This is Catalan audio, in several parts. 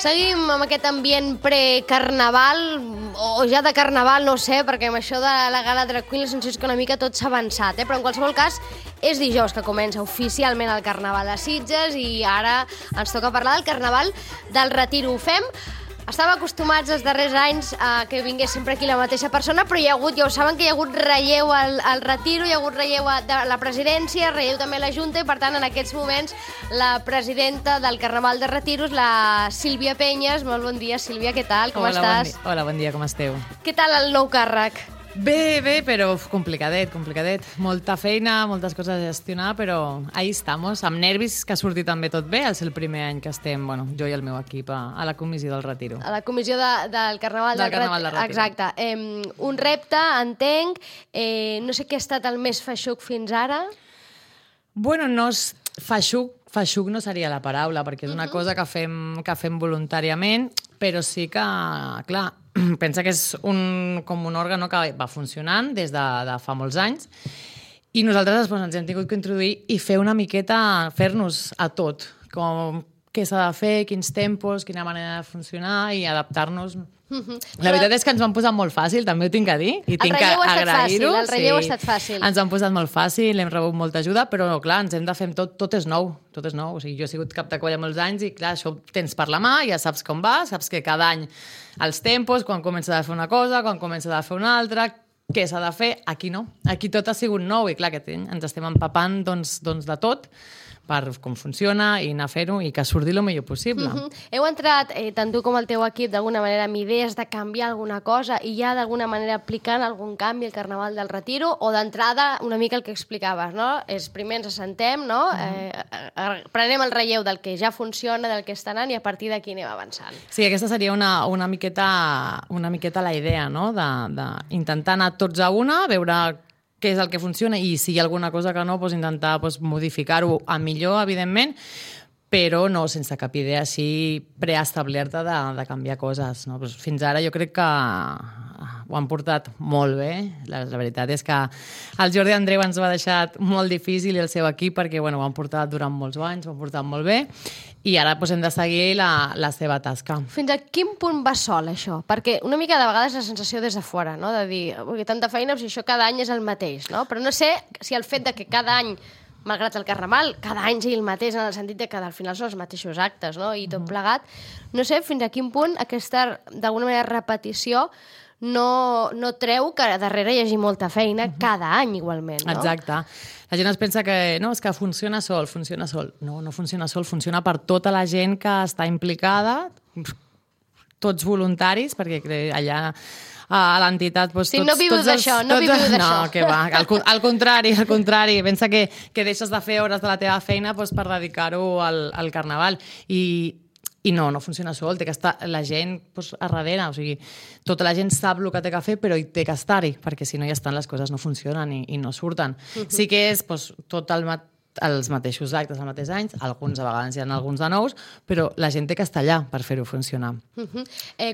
Seguim amb aquest ambient pre-carnaval, o ja de carnaval, no sé, perquè amb això de la gala Drag Queen la sensació és que una mica tot s'ha avançat, però en qualsevol cas és dijous que comença oficialment el Carnaval de Sitges i ara ens toca parlar del Carnaval del Retiro. Ho fem. Estava acostumats els darrers anys a que vingués sempre aquí la mateixa persona, però hi ha hagut, ja ho saben, que hi ha hagut relleu al Retiro, hi ha hagut relleu de la presidència, relleu també a la Junta, i per tant en aquests moments la presidenta del Carnaval de Retiro és la Sílvia Penyes. Molt bon dia, Sílvia, què tal? Com estàs? Hola, bon dia, com esteu? Què tal el nou càrrec? Bé, però complicadet. Molta feina, moltes coses a gestionar, però ahí estamos, amb nervis, que ha sortit també tot bé. És el primer any que estem, jo i el meu equip, a la comissió del Retiro. A la comissió del Carnaval del Retiro. Exacte. Un repte, entenc. No sé què ha estat el més feixuc fins ara. Bueno, no és feixuc no seria la paraula, perquè és una cosa que fem voluntàriament, però sí que, clar, pensa que és com un òrgan que va funcionant des de fa molts anys i nosaltres després ens hem tingut que introduir i fer una miqueta, fer-nos a tot, com què s'ha de fer, quins tempos, quina manera de funcionar i adaptar-nos. La veritat és que ens ho han posat molt fàcil, també ho tinc a dir, i tinc que agrair-ho. El relleu ha estat fàcil. Ens ho han posat molt fàcil, hem rebut molta ajuda, però clar, ens hem de fer tot és nou. O sigui, jo he sigut cap de colla molts anys i clar, això ho tens per la mà, ja saps com va, saps que cada any els tempos, quan comença a fer una cosa, quan comença a fer una altra, què s'ha de fer, aquí no. Aquí tot ha sigut nou i clar, que ens estem empapant doncs de tot, per com funciona i anar a fer-ho i que surti el millor possible. Heu entrat, tant tu com el teu equip, d'alguna manera amb idees de canviar alguna cosa i ja d'alguna manera aplicant algun canvi al Carnaval del Retiro, o d'entrada una mica el que explicaves, no? És primer ens assentem, no? Prenem el relleu del que ja funciona, del que està anant, i a partir d'aquí anem avançant. Sí, aquesta seria una miqueta la idea, no? D'intentar anar tots a una, veure què és el que funciona i si hi ha alguna cosa que no, intentar modificar-ho a millor, evidentment, però no sense cap idea així preestablerta de canviar coses. No? Fins ara jo crec que ho han portat molt bé. La veritat és que el Jordi Andreu ens ho ha deixat molt difícil i el seu equip perquè ho han portat durant molts anys, ho han portat molt bé i ara hem de seguir la seva tasca. Fins a quin punt va sol, això? Perquè una mica de vegades la sensació des de fora, no? De dir, tanta feina, si això cada any és el mateix, no? Però no sé si el fet de que cada any, malgrat el Carnaval, cada any sigui el mateix, en el sentit de que al final són els mateixos actes, no? I tot plegat. No sé fins a quin punt aquesta, d'alguna manera, repetició no treu que darrere hi hagi molta feina cada any igualment, no? Exacte. La gent es pensa que no, és que funciona sol. No funciona sol, funciona per tota la gent que està implicada, tots voluntaris, perquè allà a l'entitat... Sí, no vius d'això, no viviu d'això. No, que va, al contrari. Pensa que deixes de fer hores de la teva feina per dedicar-ho al Carnaval. I no funciona sol, té que estar la gent a darrere, o sigui, tota la gent sap el que té que fer, però hi té que estar-hi, perquè si no ja estan les coses no funcionen i no surten. Sí que és tot els mateixos actes, els mateixos anys, alguns a vegades hi ha alguns de nous, però la gent té que estar allà per fer-ho funcionar.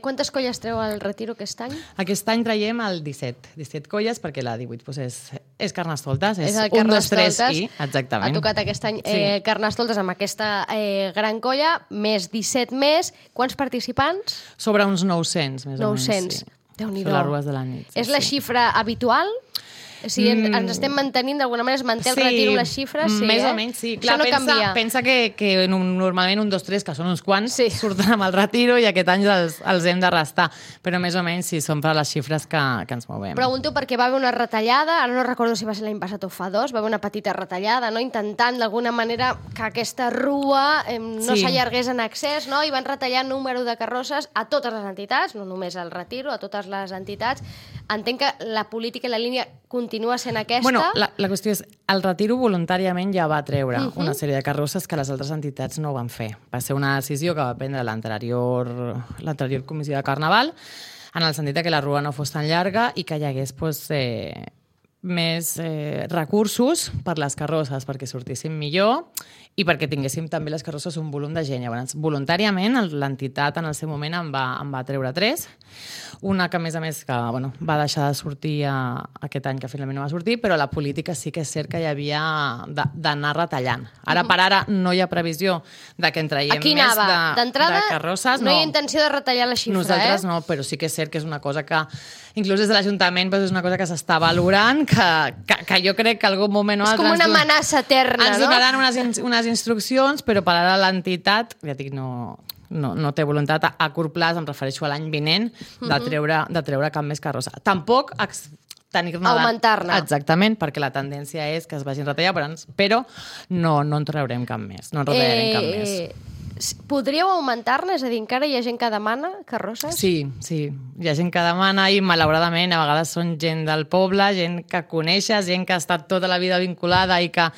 Quantes colles treu el Retiro aquest any? Aquest any traiem el 17 colles, perquè la 18 és Carnestoltes, és el 1, 2, 3 i... Exactament. Ha tocat aquest any Carnestoltes amb aquesta gran colla, més 17 més. Quants participants? Sobre uns 900, més o menys. 900. Déu-n'hi-do. Són les rues de la nit. És la xifra habitual? O sigui, ens estem mantenint, d'alguna manera es manté el Retiro amb les xifres? Sí, més o menys, sí. Clar, això no canvia. Pensa que normalment 1, 2, 3, que són uns quants, surten amb el Retiro i aquest any els hem de restar. Però més o menys sí, són per les xifres que ens movem. Pregunto perquè va haver una retallada, ara no recordo si va ser l'any passat o fa 2, va haver una petita retallada, no? Intentant d'alguna manera que aquesta rua no s'allargués en excés, no? I van retallar número de carrosses a totes les entitats, no només al Retiro, a totes les entitats. Entenc que la política i la línia continua sent aquesta. Bueno, la qüestió és, el Retiro voluntàriament ja va treure una sèrie de carrosses que les altres entitats no van fer. Va ser una decisió que va prendre l'anterior comissió de Carnaval, en el sentit que la rua no fos tan llarga i que hi hagués més recursos per les carrosses, perquè sortissin millor i perquè tinguéssim també les carrosses un volum de gent. Llavors, voluntàriament, l'entitat en el seu moment em va treure 3. Una que, a més, que, bueno, va deixar de sortir aquest any, que finalment no va sortir, però la política sí que és cert que hi havia d'anar retallant. Ara per ara no hi ha previsió de que en traiem més de carrosses. No hi ha intenció de retallar la xifra, Nosaltres no, però sí que és cert que és una cosa que, inclús des de l'Ajuntament, és una cosa que s'està valorant, que jo crec que en algun moment o altre... És com una amenaça eterna, ens donaran unes instruccions, però per ara l'entitat, ja dic, no té voluntat a curt plaç, em refereixo a l'any vinent, de treure cap més carrossa. Tampoc augmentar-ne. Exactament, perquè la tendència és que es vagin retallant, però no en traurem cap més, no en retallarem cap més. Podríeu augmentar-ne? És a dir, encara hi ha gent que demana carrosses? Sí, hi ha gent que demana i malauradament a vegades són gent del poble, gent que coneixes, gent que ha estat tota la vida vinculada i que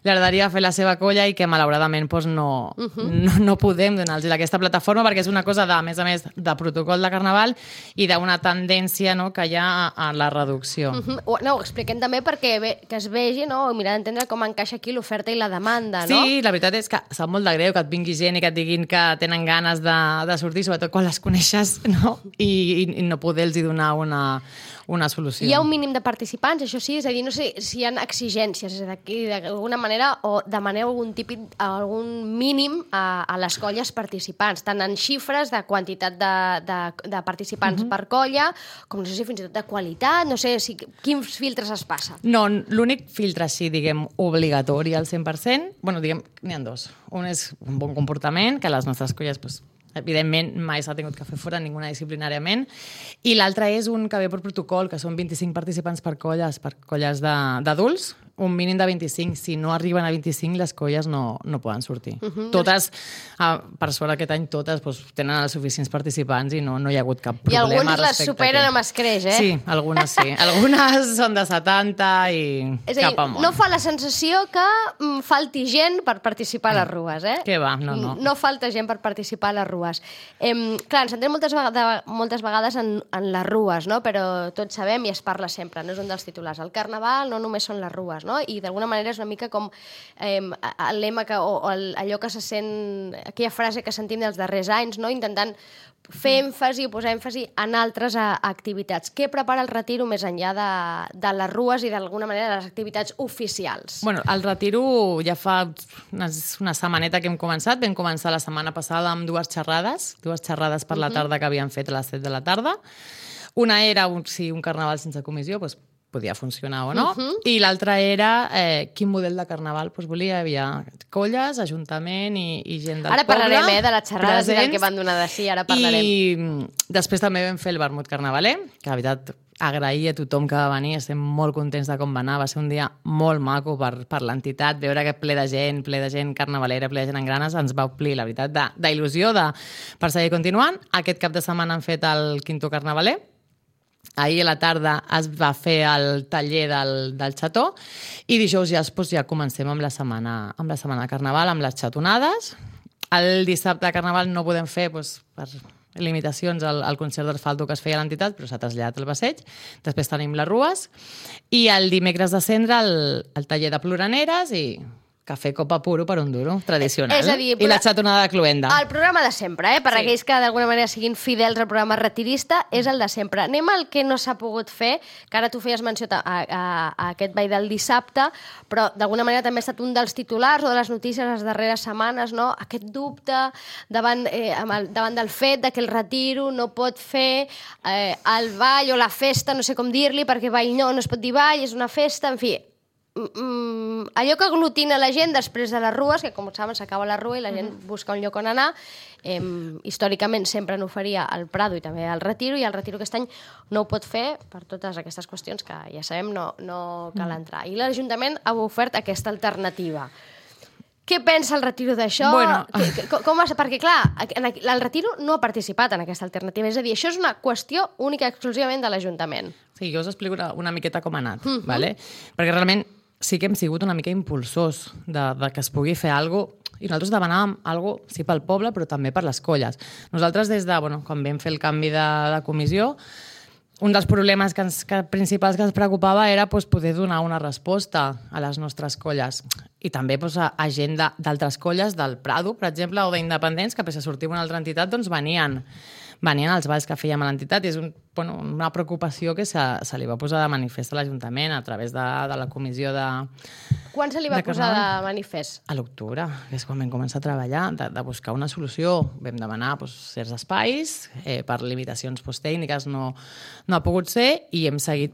li agradaria fer la seva colla i que malauradament no podem donar-los aquesta plataforma perquè és una cosa, a més, de protocol de carnaval i d'una tendència que hi ha a la reducció. No, ho expliquem també perquè que es vegi, no? Mirar d'entendre com encaixa aquí l'oferta i la demanda, no? Sí, la veritat és que sap molt de greu que et vingui gent i que et diguin que tenen ganes de sortir, sobretot quan les coneixes, no? I no poder-los donar una solució. Hi ha un mínim de participants, això sí? És a dir, no sé si hi ha exigències, és a dir, d'alguna manera, o demaneu algun mínim a les colles participants, tant en xifres de quantitat de participants per colla, com no sé si fins i tot de qualitat, no sé quins filtres es passa. No, l'únic filtre així, diguem, obligatori al 100%, bueno, diguem, n'hi ha dos. Un és un bon comportament, que les nostres colles, evidentment, mai s'ha tingut que fer fora ninguna disciplinàriament, i l'altre és un que ve per protocol, que són 25 participants per colles d'adults, un mínim de 25. Si no arriben a 25, les colles no poden sortir. Totes, per sort aquest any, totes tenen els suficients participants i no hi ha hagut cap problema. I algunes les superen amb escreix, Sí, algunes sí. Algunes són de 70 i cap amunt. No fa la sensació que falti gent per participar a les rues, Què va, no. No falta gent per participar a les rues. Clar, ens centrem moltes vegades en les rues, no? Però tots sabem i es parla sempre, no és un dels titulars. El carnaval no només són les rues, no? I d'alguna manera és una mica com el lema allò que se sent, aquella frase que sentim dels darrers anys, no? Intentant fer èmfasi o posar èmfasi en altres activitats. Què prepara el retiro més enllà de les rues i d'alguna manera de les activitats oficials? Bueno, el retiro ja fa una setmaneta que hem començat. Vam començar la setmana passada amb dues xerrades per la tarda que havíem fet a les 7 de la tarda. Una era si un carnaval sense comissió podia funcionar o no, i l'altra era quin model de carnaval volia. Hi havia colles, ajuntament i gent del poble. Ara parlarem de les xerrades i del que van donar de sí, ara parlarem. I després també vam fer el vermut carnavaler, que la veritat agrair a tothom que va venir, estem molt contents de com va anar, va ser un dia molt maco per l'entitat, veure que ple de gent carnavalera, ple de gent en granes, ens va omplir, la veritat, d'il·lusió per seguir continuant. Aquest cap de setmana han fet el quinto carnavaler. Ahir a la tarda es va fer el taller del xató i dijous ja comencem amb la setmana de carnaval, amb les xatonades. El dissabte de carnaval no podem fer per limitacions al concert d'Arfaldo que es feia a l'entitat, però s'ha traslladat al passeig. Després tenim les rues i el dimecres de cendre el taller de ploraneres i cafè copa puro per un duro, tradicional. És a dir, i la xatonada de cluenda. El programa de sempre, per aquells que d'alguna manera siguin fidels al programa retirista, és el de sempre. Anem al que no s'ha pogut fer, que ara tu feies menció a aquest ball del dissabte, però d'alguna manera també ha estat un dels titulars o de les notícies les darreres setmanes, no? Aquest dubte davant del fet de que el retiro no pot fer el ball o la festa, no sé com dir-li, perquè ball no es pot dir ball, és una festa, en fi... allò que aglutina la gent després de les rues, que com saben s'acaba la rua i la gent busca un lloc on anar, històricament sempre n'oferia al Prado i també al Retiro, i el Retiro aquest any no ho pot fer per totes aquestes qüestions que ja sabem no cal entrar. I l'Ajuntament ha ofert aquesta alternativa. Què pensa el Retiro d'això? Perquè, clar, el Retiro no ha participat en aquesta alternativa. És a dir, això és una qüestió única exclusivament de l'Ajuntament. Sí, jo us explico una miqueta com ha anat, ¿vale? Perquè realment sí que hem sigut una mica impulsors de que es pugui fer alguna cosa, i nosaltres demanàvem alguna cosa, sí, pel poble, però també per les colles. Nosaltres, quan vam fer el canvi de comissió, un dels problemes principals que ens preocupava era poder donar una resposta a les nostres colles. I també a gent d'altres colles, del Prado, per exemple, o d'independents, que pese a sortir una altra entitat, doncs venien als balls que fèiem a l'entitat. I és una preocupació que se li va posar de manifest a l'Ajuntament a través de la comissió de... Quan se li va posar de manifest? A l'octubre, que és quan vam començar a treballar, de buscar una solució. Vam demanar certs espais, per limitacions tècniques no ha pogut ser, i hem seguit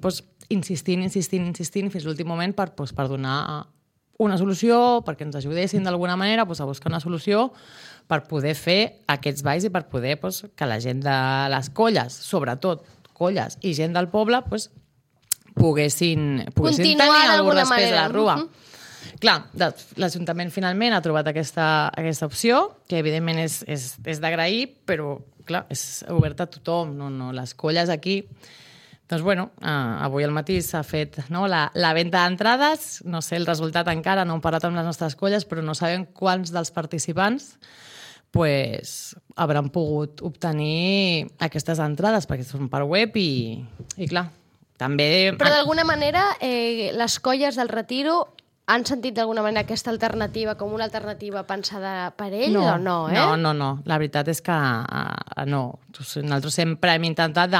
insistint fins l'últim moment per donar una solució, perquè ens ajudessin d'alguna manera a buscar una solució per poder fer aquests balls i per poder que la gent de les colles, sobretot colles i gent del poble, poguessin tenir algun respecte a la rua. Clar, l'Ajuntament finalment ha trobat aquesta opció, que evidentment és d'agrair, però clar, és oberta a tothom, no les colles aquí. Doncs bueno, avui al matí s'ha fet la venda d'entrades, no sé el resultat encara, no hem parlat amb les nostres colles, però no sabem quants dels participants hauran pogut obtenir aquestes entrades, perquè són per web i clar, també... Però d'alguna manera les colles del Retiro han sentit d'alguna manera aquesta alternativa com una alternativa pensada per ell o no? No. La veritat és que no. Nosaltres sempre hem intentat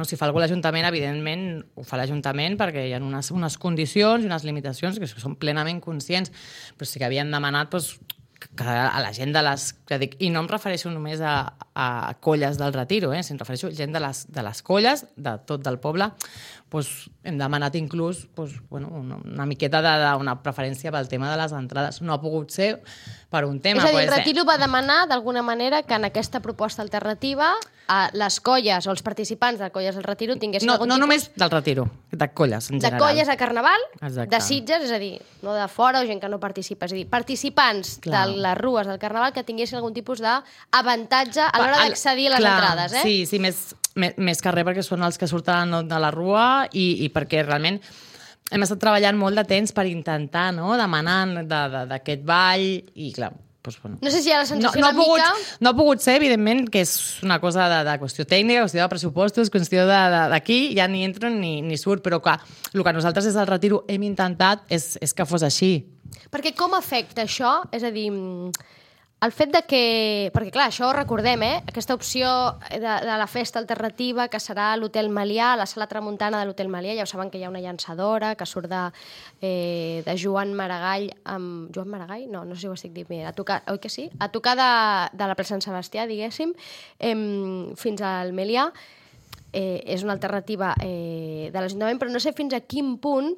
si fa alguna cosa l'Ajuntament, evidentment ho fa l'Ajuntament perquè hi ha unes condicions i unes limitacions que són plenament conscients, però sí que havien demanat que a la gent de les... I no em refereixo només a colles del Retiro, si em refereixo a gent de les colles, de tot del poble, hem demanat inclús una miqueta d'una preferència pel tema de les entrades. No ha pogut ser per un tema... És a dir, el Retiro va demanar d'alguna manera que en aquesta proposta alternativa les colles o els participants de colles del Retiro tinguessin algun tipus... No només del Retiro, de colles en general. De colles a Carnaval, exacte, de Sitges, és a dir, no de fora o gent que no participa, és a dir, participants de les rues del Carnaval que tinguessin algun tipus d'avantatge a l'hora d'accedir a les entrades. Sí, més que res perquè són els que surten de la rua i perquè realment hem estat treballant molt de temps per intentar demanar d'aquest ball i clar, no sé si hi ha la sensació una mica... No ha pogut ser, evidentment, que és una cosa de qüestió tècnica, qüestió de pressupostos, qüestió d'aquí, ja ni entro ni surt, però clar, el que nosaltres des del Retiro hem intentat és que fos així. Perquè com afecta això? És a dir, el fet de que... Perquè clar, això ho recordem, aquesta opció de la festa alternativa que serà a l'Hotel Melià, a la sala tramuntana de l'Hotel Melià, ja ho saben que hi ha una llançadora que surt de Joan Maragall amb... Joan Maragall? No sé si ho estic dient bé. Oi que sí? A tocar de la plaça Sant Sebastià, diguéssim, fins al Melià. És una alternativa de l'Ajuntament, però no sé fins a quin punt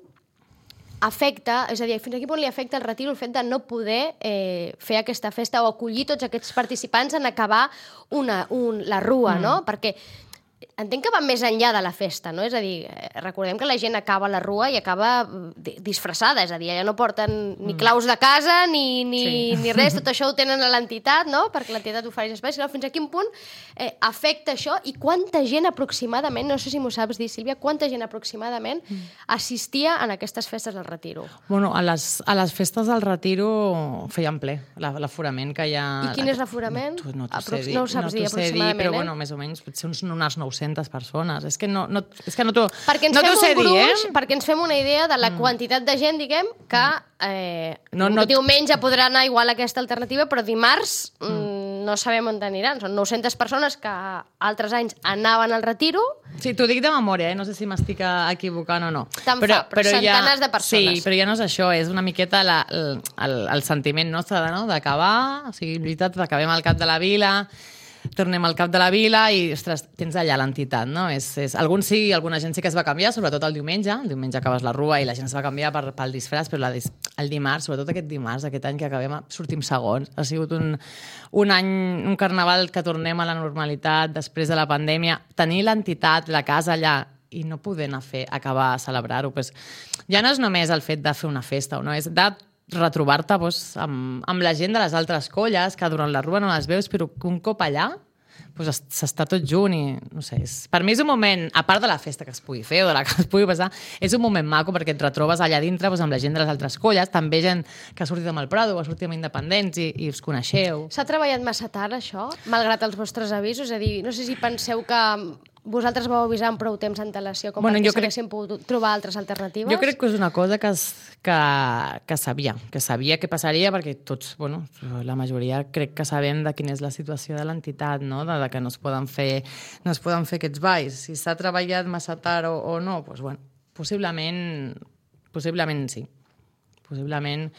afecta, és a dir, fins a quin punt li afecta el Retiro el fet de no poder fer aquesta festa o acollir tots aquests participants en acabar la rua, no? Perquè entenc que va més enllà de la festa, no? És a dir, recordem que la gent acaba a la rua i acaba disfressada, és a dir, ja no porten ni claus de casa ni res, tot això ho tenen a l'entitat, no? Perquè l'entitat ofereix espais. Fins a quin punt afecta això i quanta gent aproximadament, no sé si m'ho saps dir, Sílvia, quanta gent aproximadament assistia en aquestes festes del Retiro? Bueno, a les festes del Retiro feien ple, l'aforament que hi ha... I quin és l'aforament? No ho saps dir aproximadament, però bueno, més o menys potser unes 900 persones. És que no t'ho perquè ens fem un gruix, perquè ens fem una idea de la quantitat de gent, diguem, que diumenge podrà anar igual aquesta alternativa, però dimarts no sabem on aniran. Són 900 persones que altres anys anaven al Retiro. Sí, t'ho dic de memòria, no sé si m'estic equivocant o no. Però centenars de persones. Sí, però ja no és això, és una miqueta el sentiment nostre d'acabar, o sigui, veritat, acabem al cap de la vila, tornem al cap de la vila i, ostres, tens allà l'entitat, no? Alguna gent sí que es va canviar, sobretot el diumenge. El diumenge acabes la rua i la gent es va canviar pel disfraç, però el dimarts, sobretot aquest dimarts, aquest any que acabem, sortim segons. Ha sigut un any, un carnaval que tornem a la normalitat després de la pandèmia. Tenir l'entitat, la casa allà, i no poder acabar a celebrar-ho. Ja no és només el fet de fer una festa, no? És de retrobar-te amb la gent de les altres colles que durant la rua no les veus, però que un cop allà s'està tot junt i no sé, per mi és un moment, a part de la festa que es pugui fer o de la que es pugui passar, és un moment maco perquè et retrobes allà dintre amb la gent de les altres colles, també gent que ha sortit amb el Prado o ha sortit amb Independents i us coneixeu. S'ha treballat massa tard això, malgrat els vostres avisos? És a dir, no sé si penseu que vosaltres vau avisar amb prou temps d'antelació com perquè s'haguessin pogut trobar altres alternatives? Jo crec que és una cosa que sabia què passaria, perquè tots, la majoria crec que sabem de quina és la situació de l'entitat, no? De que no es poden fer aquests balls. Si s'ha treballat massa tard o no, possiblement sí. Possiblement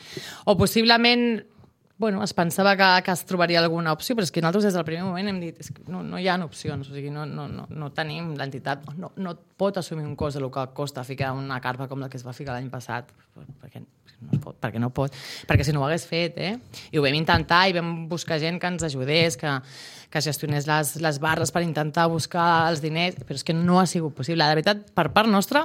es pensava que es trobaria alguna opció, però és que nosaltres des del primer moment hem dit que no hi ha opcions, o sigui, no tenim, l'entitat no pot assumir un cost del que costa ficar una carpa com la que es va ficar l'any passat, perquè no pot, perquè si no ho hagués fet, i ho vam intentar i vam buscar gent que ens ajudés, que gestionés les barres per intentar buscar els diners, però és que no ha sigut possible. De veritat, per part nostra,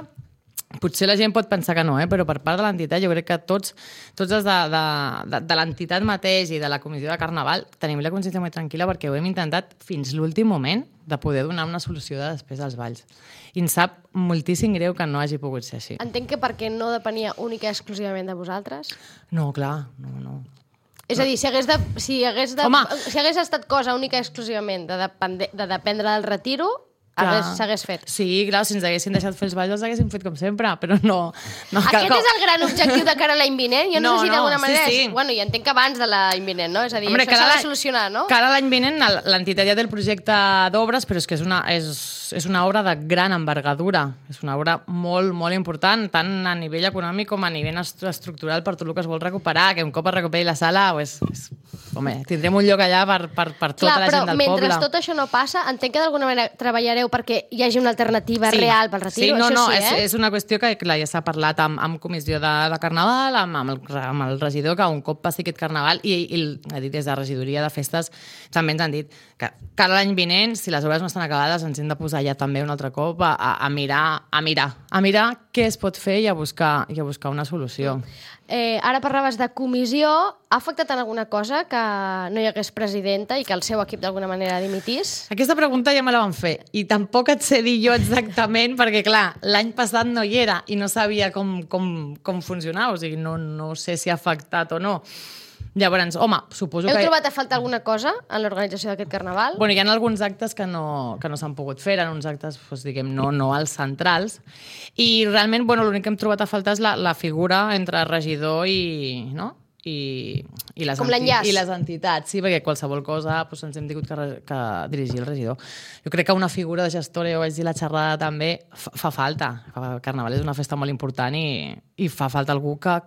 potser la gent pot pensar que no, però per part de l'entitat jo crec que tots els de l'entitat mateix i de la comissió de Carnaval tenim la consciència molt tranquil·la perquè ho hem intentat fins l'últim moment de poder donar una solució de després als balls. I em sap moltíssim greu que no hagi pogut ser així. Entenc que perquè no depenia única i exclusivament de vosaltres? No, clar, no. És a dir, si hagués estat cosa única i exclusivament de dependre del retiro, s'hagués fet. Sí, clar, si ens haguessin deixat fer els balls els haguéssim fet com sempre, però no. Aquest és el gran objectiu de cara a l'any vinent? Jo no sé si d'alguna manera... Sí. Bueno, ja entenc que abans de l'any vinent, no? És a dir, això s'ha de solucionar, no? Cara a l'any vinent l'entitat ja té el projecte d'obres, però és que és una obra de gran envergadura. És una obra molt, molt important, tant a nivell econòmic com a nivell estructural per tot el que es vol recuperar, que un cop es recuperi la sala, tindrem un lloc allà per tota la gent del poble. Mentre tot això no passa, entenc que d'alguna manera treballareu perquè hi hagi una alternativa real pel retiro. És una qüestió que ja s'ha parlat amb comissió de Carnaval, amb el regidor, que un cop passi aquest Carnaval, i des de regidoria de festes també ens han dit que cada l'any vinent, si les obres no estan acabades, ens hem de posar ja també un altre cop a mirar què es pot fer i a buscar una solució. Ara parlaves de comissió. Ha afectat en alguna cosa que no hi hagués presidenta i que el seu equip d'alguna manera dimitís? Aquesta pregunta ja me la van fer i tampoc et sé dir jo exactament perquè, clar, l'any passat no hi era i no sabia com funcionava, o sigui, no sé si ha afectat o no. Llavors, suposo que... Heu trobat a faltar alguna cosa en l'organització d'aquest Carnaval? Hi ha alguns actes que no s'han pogut fer, eren uns actes, no als centrals, i realment, l'únic que hem trobat a faltar és la figura entre regidor i les entitats, sí, perquè qualsevol cosa ens hem tingut que dirigir el regidor. Jo crec que una figura de gestora, ho vaig dir la xerrada també, fa falta. El Carnaval és una festa molt important i fa falta algú que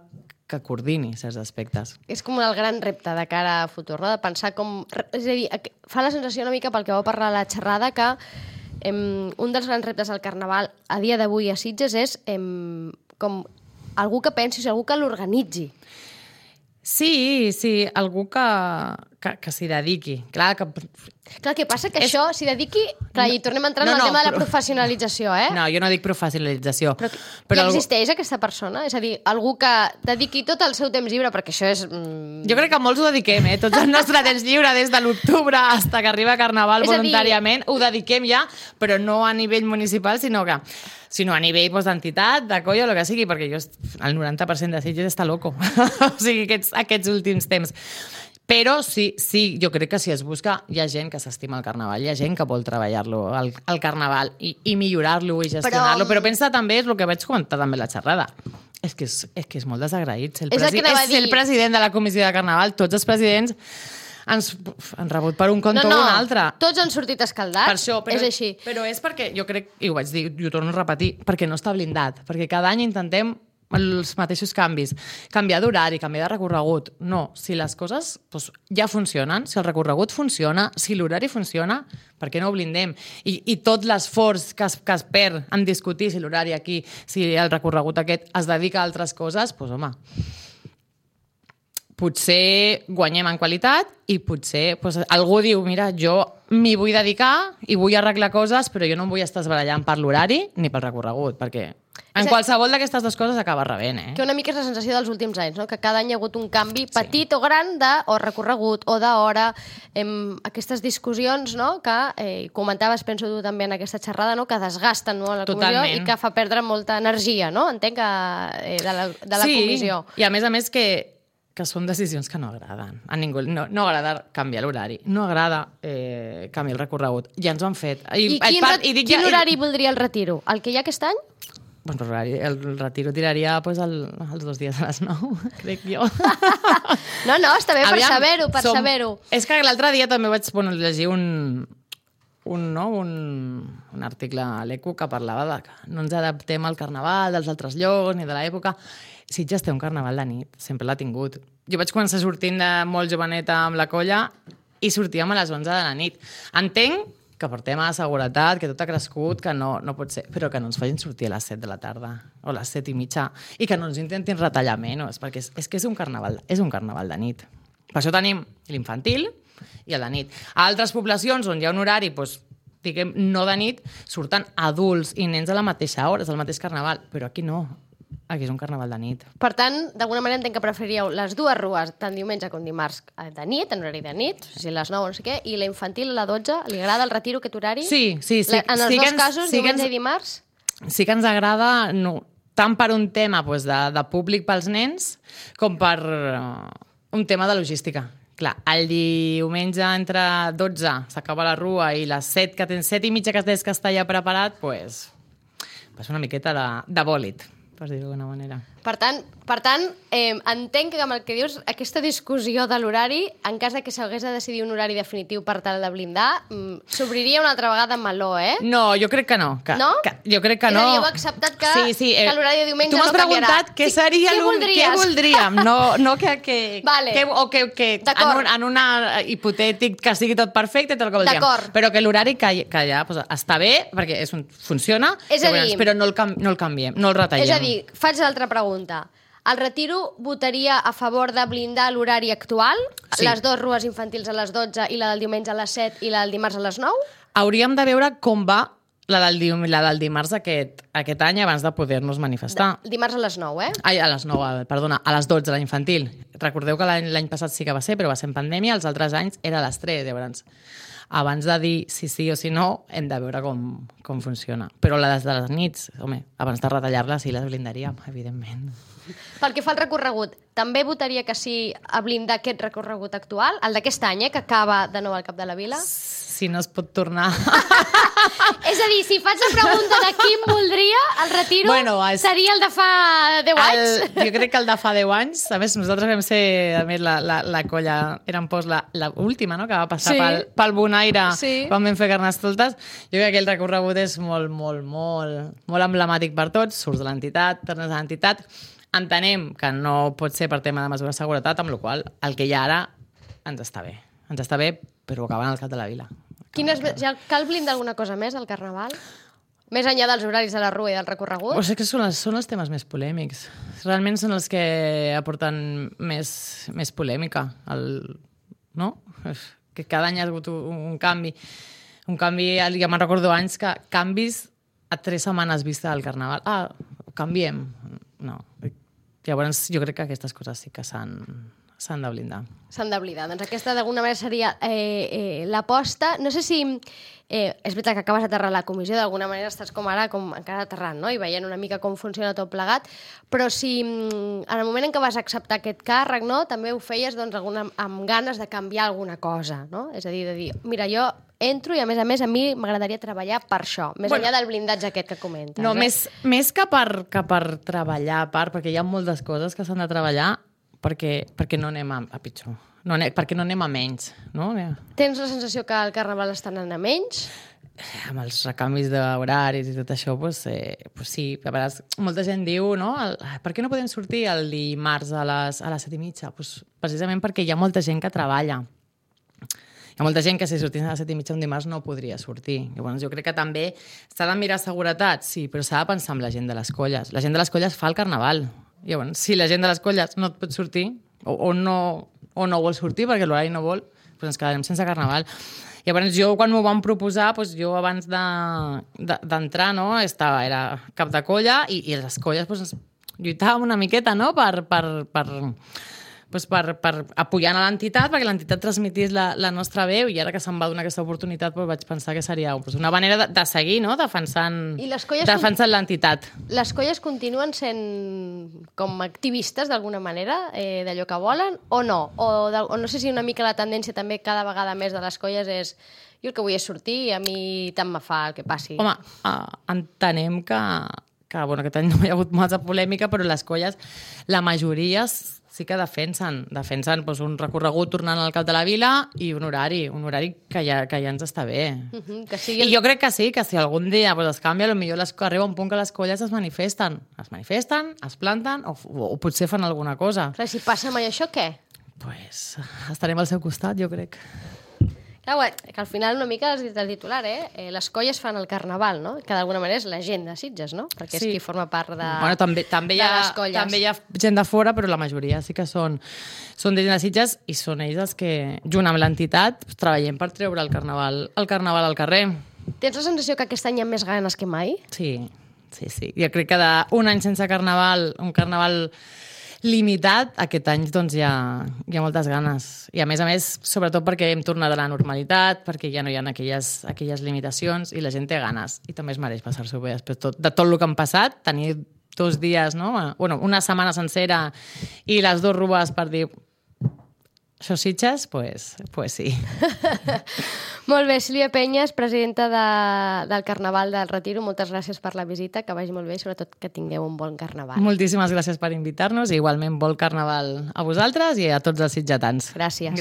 coordini certs aspectes. És com el gran repte de cara a futur, no? De pensar com... És a dir, fa la sensació una mica pel que vau parlar a la xerrada que un dels grans reptes del Carnaval a dia d'avui a Sitges és com algú que pensi, algú que l'organitzi. Sí, algú que s'hi dediqui. Clar, què passa? Que això s'hi dediqui... Clar, i tornem a entrar en el tema de la professionalització, No, jo no dic professionalització. Però existeix aquesta persona? És a dir, algú que dediqui tot el seu temps lliure, perquè això és... Jo crec que molts ho dediquem, Tot el nostre temps lliure, des de l'octubre fins que arriba Carnaval voluntàriament, ho dediquem ja, però no a nivell municipal, sinó a nivell d'entitat, de colla, o el que sigui, perquè el 90% de Sitges està loco. O sigui, aquests últims temps. Però sí, jo crec que si es busca, hi ha gent que s'estima el Carnaval, hi ha gent que vol treballar-lo, el Carnaval, i millorar-lo i gestionar-lo. Però pensa també, és el que vaig comentar també a la xerrada, és que és molt desagraït ser el president de la comissió de Carnaval. Tots els presidents han rebut per un compte o un altre. Tots han sortit escaldats, per això, és així. Però és perquè, jo crec, i ho vaig dir, i ho torno a repetir, perquè no està blindat, perquè cada any intentem els mateixos canvis, canviar d'horari, canviar de recorregut. No, si les coses ja funcionen, si el recorregut funciona, si l'horari funciona, per què no ho blindem? I tot l'esforç que es perd en discutir si l'horari aquí, si el recorregut aquest es dedica a altres coses, potser guanyem en qualitat i potser algú diu, mira, jo m'hi vull dedicar i vull arreglar coses, però jo no em vull estar esbarallant per l'horari ni pel recorregut, perquè en qualsevol d'aquestes dues coses acaba rebent. Que una mica és la sensació dels últims anys, no? Que cada any hi ha hagut un canvi petit o gran o recorregut o d'hora, aquestes discussions, no? Que comentaves, penso tu també en aquesta xerrada, no? Que desgasten, no? La comissió i que fa perdre molta energia, no? Entenc de la comissió. I a més que que són decisions que no agraden. A ningú no agrada canviar l'horari, no agrada canviar el recorregut. Ja ens ho han fet. I quin horari voldria el retiro? El que hi ha aquest any? Bueno, el retiro tiraria els 2 dies a les 9, crec jo. No, està bé per saber-ho, saber-ho. És que l'altre dia també vaig llegir un article a l'ECO que parlava de que no ens adaptem al carnaval dels altres llocs ni de l'època. Sitges té un carnaval de nit, sempre l'ha tingut. Jo vaig començar sortint de molt joveneta amb la colla i sortíem a les 11 de la nit. Entenc que per tema de seguretat, que tot ha crescut, que no pot ser, però que no ens facin sortir a les 7 de la tarda o a les 7 i mitja i que no ens intentin retallar menys, perquè és que és un carnaval de nit. Per això tenim l'infantil i el de nit. A altres poblacions on hi ha un horari, doncs, diguem, no de nit, surten adults i nens a la mateixa hora, és el mateix carnaval, però aquí no. Aquí és un carnaval de nit. Per tant, d'alguna manera entenc que preferíeu les dues rues, tant diumenge com dimarts, de nit, en horari de nit, si les 9 o no sé què, i la infantil a la 12, li agrada el retiro aquest horari? Sí. En els dos casos, diumenge i dimarts? Sí que ens agrada, no, tant per un tema de públic pels nens, com per un tema de logística. Clar, el diumenge entre 12 s'acaba la rua i les 7, que tens 7 i mitja que tens que està ja preparat, doncs una miqueta de bòlit, per dir-ho d'alguna manera. Per tant, entenc que amb el que dius, aquesta discussió de l'horari, en cas que s'hagués de decidir un horari definitiu per tal de blindar, s'obriria una altra vegada amb meló, eh? No, jo crec que no. No? Jo crec que no. És a dir, heu acceptat que l'horari de diumenge no canviarà. Tu m'has preguntat què seria què voldríem, no que vale. En un hipotètic que sigui tot perfecte, tot el que voldríem. Però que l'horari que ja està bé, perquè funciona, però no el canviem, no el retallem. És a dir, faig l'altra pregunta. El retiro votaria a favor de blindar l'horari actual? Sí. Les dues rues infantils a les 12 i la del diumenge a les 7 i la del dimarts a les 9? Hauríem de veure com va la del dimarts aquest any abans de poder-nos manifestar. Dimarts a les 9, eh? Ai, a les 9, perdona, a les 12, la infantil. Recordeu que l'any passat sí que va ser, però va ser en pandèmia, els altres anys era a les 3, llavors. Abans de dir si sí o si no, hem de veure com funciona. Però les de les nits, home, abans de retallar-les sí les blindaríem, evidentment. Pel que fa al recorregut, també votaria que sí a blindar aquest recorregut actual, el d'aquest any, que acaba de nou al Cap de la Vila? Si no es pot tornar. És a dir, si faig la pregunta de quin voldria, el retiro seria el de fa 10 anys? Jo crec que el de fa 10 anys. A més, nosaltres vam ser, a més, la colla, érem l'última, no?, que va passar pel Bonaire quan vam fer Carnestoltes. Jo crec que aquell recorregut és molt emblemàtic per tots. Surts de l'entitat, tornes a l'entitat. Entenem que no pot ser per tema de mesura de seguretat, amb la qual cosa el que hi ha ara ens està bé. Ens està bé, però acabant al Cap de la Vila. Cal blindar alguna cosa més al Carnaval? Més enllà dels horaris de la rua i del recorregut? Pues és que són els temes més polèmics. Realment són els que aporten més polèmica. No? Que cada any ha hagut un canvi. Un canvi, ja me'n recordo anys que canvis a 3 setmanes vista del Carnaval. Canviem. No. Llavors jo crec que aquestes coses sí que s'han de blindar. S'han de blindar. Doncs aquesta d'alguna manera seria l'aposta. No sé si... és veritat que acabes d'aterrar la comissió, d'alguna manera estàs com ara, encara aterrant, no?, i veient una mica com funciona tot plegat, però si en el moment en què vas acceptar aquest càrrec, no?, també ho feies amb ganes de canviar alguna cosa, no? És a dir, de dir, mira, jo entro i a més a mi m'agradaria treballar per això, més enllà del blindatge aquest que comentes. No, més que per treballar perquè hi ha moltes coses que s'han de treballar perquè no anem a pitjor. Perquè no anem a menys. No? Tens la sensació que el Carnaval està anant a menys? Amb els recanvis d'horaris i tot això, sí. A vegades, molta gent diu, no? Per què no podem sortir el dimarts a les 7:30? Precisament perquè hi ha molta gent que treballa. Hi ha molta gent que si sortís a les 7:30 un dimarts no podria sortir. Llavors, jo crec que també s'ha de mirar seguretat, sí, però s'ha de pensar en la gent de les colles. La gent de les colles fa el Carnaval. Llavors, si la gent de les colles no et pot sortir o no vol sortir perquè l'horari no vol, doncs ens quedarem sense Carnaval. Llavors, jo quan m'ho van proposar, jo abans d'entrar, no, era cap de colla i les colles lluitàvem una miqueta, no?, doncs per apoyant a l'entitat, perquè l'entitat transmitís la nostra veu, i ara que se'm va donar aquesta oportunitat doncs vaig pensar que seria una manera de seguir, no?, defensant l'entitat. Les colles continuen sent com activistes d'alguna manera, d'allò que volen, o no? O no sé si una mica la tendència també cada vegada més de les colles és jo el que vull és sortir i a mi tant me fa el que passi. Home, entenem que aquest any no hi ha hagut massa polèmica, però les colles, la majoria sí que defensen doncs, un recorregut tornant al cap de la vila i un horari que ja ens està bé. I jo crec que sí, que si algun dia es canvia, potser arriba un punt que les colles es manifesten, es planten o potser fan alguna cosa. Clar, si passa mai això, què? Doncs estarem al seu costat, jo crec. Clar, que al final una mica has dit el titular, les colles fan el carnaval, no? Que d'alguna manera és la gent de Sitges, no? Perquè és qui forma part de les colles. També hi ha gent de fora, però la majoria sí que són de gent de Sitges i són ells els que, junt amb l'entitat, treballem per treure el carnaval al carrer. Tens la sensació que aquest any hi ha més ganes que mai? Sí. Jo crec que d'un any sense carnaval, un carnaval limitat, aquest any doncs, hi ha moltes ganes. I a més, sobretot perquè hem tornat a la normalitat, perquè ja no hi ha aquelles limitacions i la gent té ganes. I també es mereix passar-s'ho bé després de tot el que han passat, tenir 2 dies, no? Una setmana sencera i les 2 rues per dir això Sitges, pues sí. Molt bé, Sílvia Penyes, presidenta del Carnaval del Retiro, moltes gràcies per la visita, que vagi molt bé i sobretot que tingueu un bon carnaval. Moltíssimes gràcies per invitar-nos i igualment bon carnaval a vosaltres i a tots els sitgetans. Gràcies.